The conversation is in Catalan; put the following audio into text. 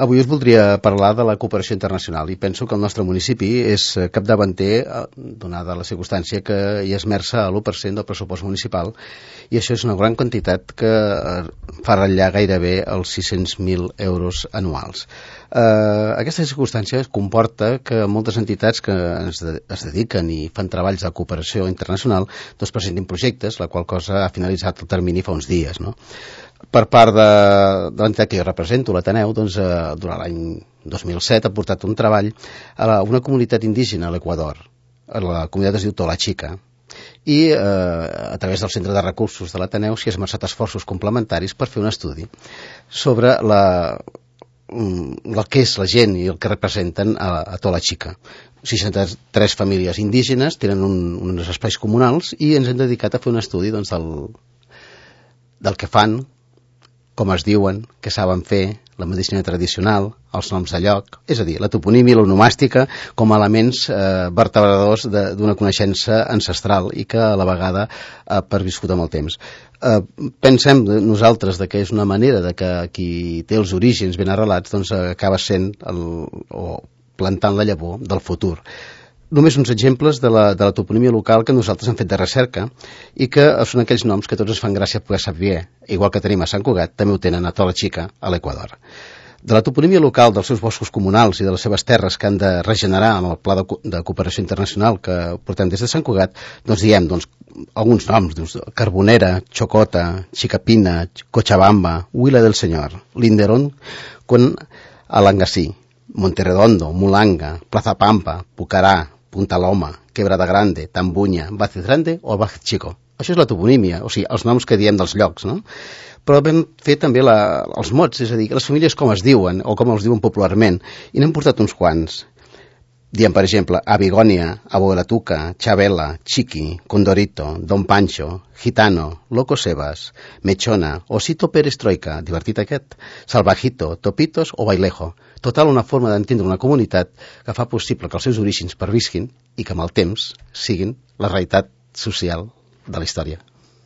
Avui us voldria parlar de la cooperació internacional i penso que el nostre municipi és capdavanter, donada la circumstància que hi esmerça a l'1% del pressupost municipal, i això és una gran quantitat que fa ratllar gairebé els 600.000 euros anuals. Aquesta circumstància comporta que moltes entitats que es dediquen i fan treballs de cooperació internacional doncs presentin projectes, la qual cosa ha finalitzat el termini fa uns dies, no? Per part de l'entitat que jo represento, l'Ateneu, doncs, durant l'any 2007 ha portat un treball a una comunitat indígena a l'Equador. La comunitat es diu Tola Chica, i a través del Centre de Recursos de l'Ateneu s'hi ha esmerçat esforços complementaris per fer un estudi sobre el que és la gent i el que representen a Tola Chica. 63 famílies indígenes tenen uns espais comunals i ens hem dedicat a fer un estudi doncs, del que fan, com es diuen, què saben fer, la medicina tradicional, els noms de lloc, és a dir, la toponímia i l'onomàstica com a elements vertebradors d'una coneixença ancestral i que a la vegada ha perviscut amb el temps. Pensem nosaltres que és una manera de que qui té els orígens ben arrelats doncs acaba sent o plantant la llavor del futur. Només uns exemples de la toponímia local que nosaltres hem fet de recerca i que són aquells noms que tots ens fan gràcia poder saber, igual que tenim a Sant Cugat, també ho tenen a Tola Chica, a l'Equador. De la toponímia local dels seus boscos comunals i de les seves terres que han de regenerar amb el Pla de Cooperació Internacional que portem des de Sant Cugat, doncs diem alguns noms, Carbonera, Chocota, Chicapina, Cochabamba, Huila del Señor, Linderón con Alangasí, Monterredondo, Mulanga, Plaza Pampa, Pucará, Punta Loma, Quebrada Grande, Tambuña, Vázquez Grande o Vázquez Chico. Això és la toponímia, o sigui, els noms que diem dels llocs, no? Però vam fer també els mots, és a dir, les famílies com es diuen o com els diuen popularment, i n'hem portat uns quants. Diem, per exemple, Abigònia, Abuelatuca, Chabela, Chiqui, Condorito, Don Pancho, Gitano, Loco Sebas, Mechona, Osito Pérez Troika, divertit aquest, Salvajito, Topitos o Bailejo. Total, una forma d'entendre una comunitat que fa possible que els seus orígens pervisquin i que amb el temps siguin la realitat social de la història.